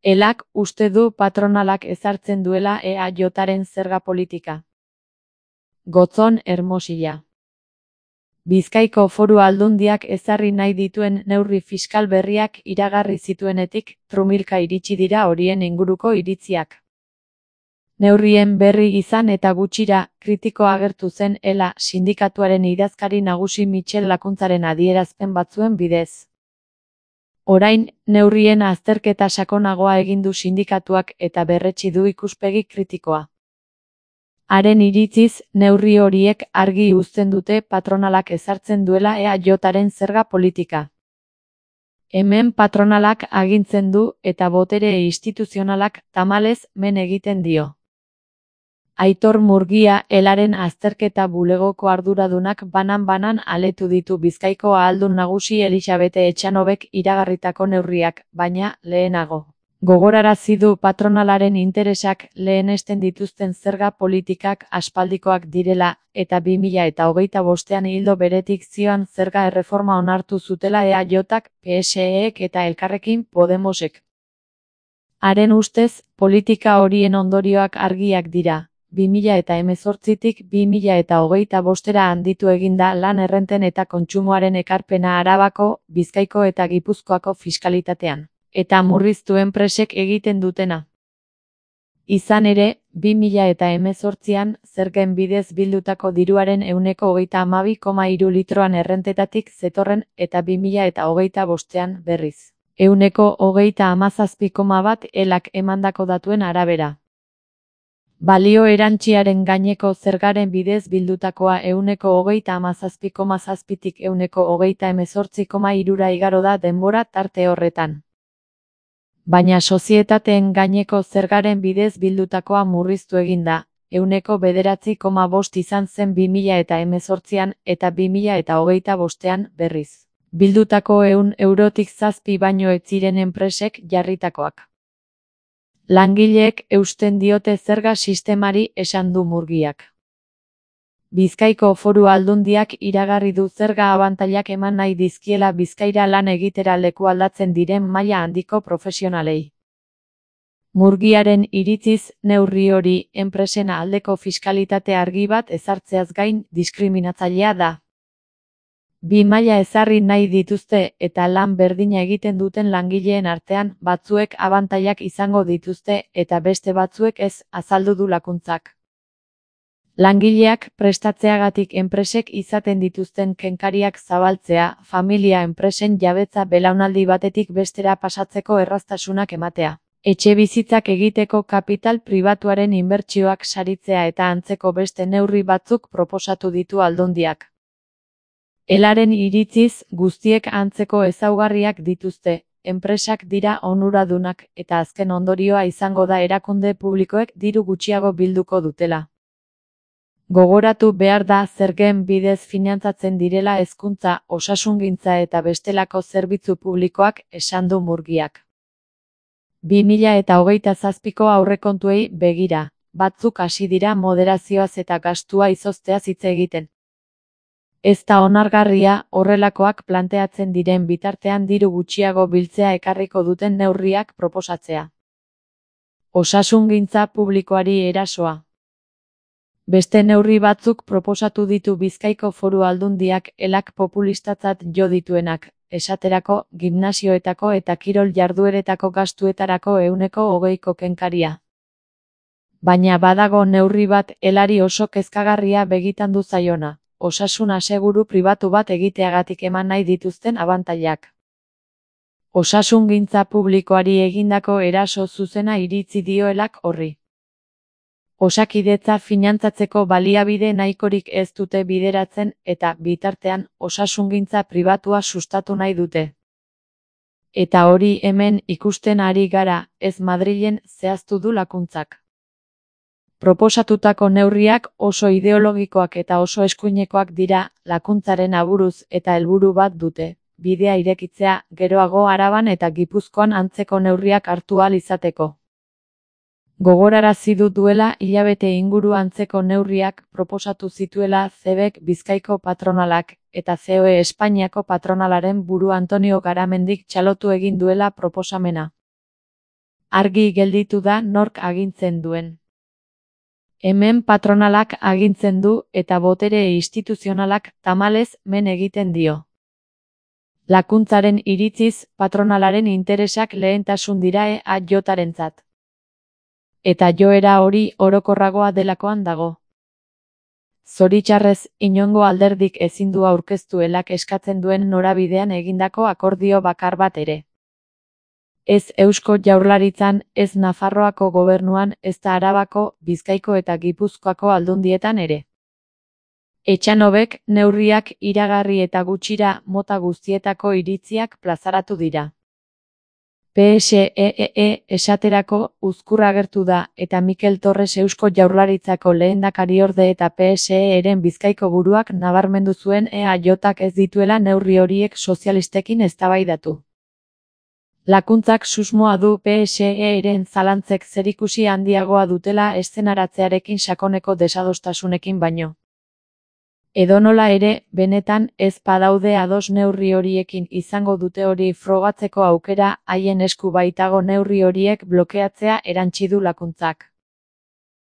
Elak uste du patronalak ezartzen duela EAJaren zerga politika. Gotzon Hermosilla. Bizkaiko Foru Aldundiak ezarri nahi dituen neurri fiskal berriak iragarri zituenetik, trumilka iritsi dira horien inguruko iritziak. Neurrien berri izan eta gutxira, kritiko agertu zen ELA sindikatuaren idazkari nagusi Michel Lakuntzaren adierazpen batzuen bidez. Orain, neurrien azterketa sakonagoa egin du sindikatuak eta berretsi du ikuspegi kritikoa. Haren iritziz, neurri horiek argi uzten dute patronalak ezartzen duela EAJaren zerga politika. Hemen patronalak agintzen du eta botere instituzionalak tamalez men egiten dio. Aitor Murgia ELAren azterketa bulegoko arduradunak banan-banan aletu ditu Bizkaiko ahaldun nagusi Elisabete Etxanobek iragarritako neurriak, baina lehenago. Gogorarazi du patronalaren interesak lehenesten dituzten zerga politikak aspaldikoak direla eta 2025ean ildo beretik zioan zerga erreforma onartu zutela EAJak, PSEek eta Elkarrekin Podemosek. Haren ustez, politika horien ondorioak argiak dira. 2018tik 2025era handitu eginda lan errenten eta kontsumoaren ekarpena Arabako, Bizkaiko eta Gipuzkoako fiskalitatean. Eta murriztu enpresek egiten dutena. Izan ere, 2018an zergen bidez bildutako diruaren 32,3 litroan errentetatik zetorren eta 2025ean berriz. 37,1 ELAk emandako datuen arabera. Balio erantziaren gaineko zergaren bidez bildutakoa 37,7tik 38,3 igaro da denbora tarte horretan. Baina sozietateen gaineko zergaren bidez bildutakoa murriztu egin da, 9,5 izan zen 2018an eta 2025ean berriz. Bildutako 100 eurotik 7 baino ez ziren enpresek jarritakoak. Langileek eusten diote zerga sistemari, esan du Murgiak. Bizkaiko Foru Aldundiak iragarri du zerga abantailak eman nahi dizkiela Bizkaira lan egitera leku aldatzen diren maila handiko profesionalei. Murgiaren iritziz, neurri hori enpresen aldeko fiskalitate argi bat ezartzeaz gain diskriminatzailea da. Bi maila ezarri nahi dituzte eta lan berdina egiten duten langileen artean batzuek abantailak izango dituzte eta beste batzuek ez, azaldu du Lakuntzak. Langileak prestatzeagatik enpresek izaten dituzten kenkariak zabaltzea, familia enpresen jabetza belaunaldi batetik bestera pasatzeko erraztasunak ematea. Etxebizitzak egiteko kapital pribatuaren inbertsioak saritzea eta antzeko beste neurri batzuk proposatu ditu Aldundiak. ELAren iritziz, guztiek antzeko ezaugarriak dituzte, enpresak dira onuradunak eta azken ondorioa izango da erakunde publikoek diru gutxiago bilduko dutela. Gogoratu behar da zergen bidez finantzatzen direla hezkuntza, osasungintza eta bestelako zerbitzu publikoak, esan du Murgiak. 2027ko aurrekontuei begira, batzuk hasi dira moderazioaz eta gastua izozteaz hitz egiten. Ez da onargarria horrelakoak planteatzen diren bitartean diru gutxiago biltzea ekarriko duten neurriak proposatzea. Osasungintza publikoari erasoa. Beste neurri batzuk proposatu ditu Bizkaiko Foru Aldundiak ELAk populistatzat jo dituenak, esaterako, gimnasioetako eta kirol jardueretako gastuetarako 20% kenkaria. Baina badago neurri bat ELAri oso kezkagarria begitan du zaiona, osasun aseguru pribatu bat egiteagatik eman nahi dituzten abantailak. Osasungintza publikoari egindako eraso zuzena iritzi dio ELAk horri. Osakidetza finantzatzeko baliabide nahikorik ez dute bideratzen eta, bitartean, osasungintza pribatua sustatu nahi dute. Eta hori hemen ikusten ari gara, ez Madrilen, zehaztu du Lakuntzak. Proposatutako neurriak oso ideologikoak eta oso eskuinekoak dira, Lakuntzaren aburuz eta helburu bat dute, bidea irekitzea, geroago Araban eta Gipuzkoan antzeko neurriak hartu ahal izateko. Gogorarazi du duela hilabete inguru antzeko neurriak proposatu zituela CEBek Bizkaiko patronalak eta COE Espainiako patronalaren buru Antonio Garamendik txalotu egin duela proposamena. argi gelditu da nork agintzen duen. Hemen patronalak agintzen du eta botere instituzionalak tamalez men egiten dio. Lakuntzaren iritziz, patronalaren interesak lehentasun dira EAJarentzat. Eta joera hori orokorragoa delakoan dago. Zoritxarrez, inongo alderdik ezin du aurkeztu elak eskatzen duen norabidean egindako akordio bakar bat ere. Ez Eusko Jaurlaritzan, ez Nafarroako gobernuan, ezta Arabako, Bizkaiko eta Gipuzkoako aldundietan ere. Etxanobek neurriak iragarri eta gutxira mota guztietako iritziak plazaratu dira. PSEE esaterako uzkur agertu da eta Mikel Torres Eusko Jaurlaritzako lehendakariorde eta PSE-ren Bizkaiko buruak nabarmendu zuen EAJak ez dituela neurri horiek sozialistekin eztabaidatu. Lakuntzak susmoa du PSE-ren zalantzek zerikusi handiagoa dutela eszenaratzearekin sakoneko desadostasunekin baino. Edonola ere, benetan ez badaude ados neurri horiekin izango dute hori frogatzeko aukera, haien esku baitago neurri horiek blokeatzea erantsi du Lakuntzak.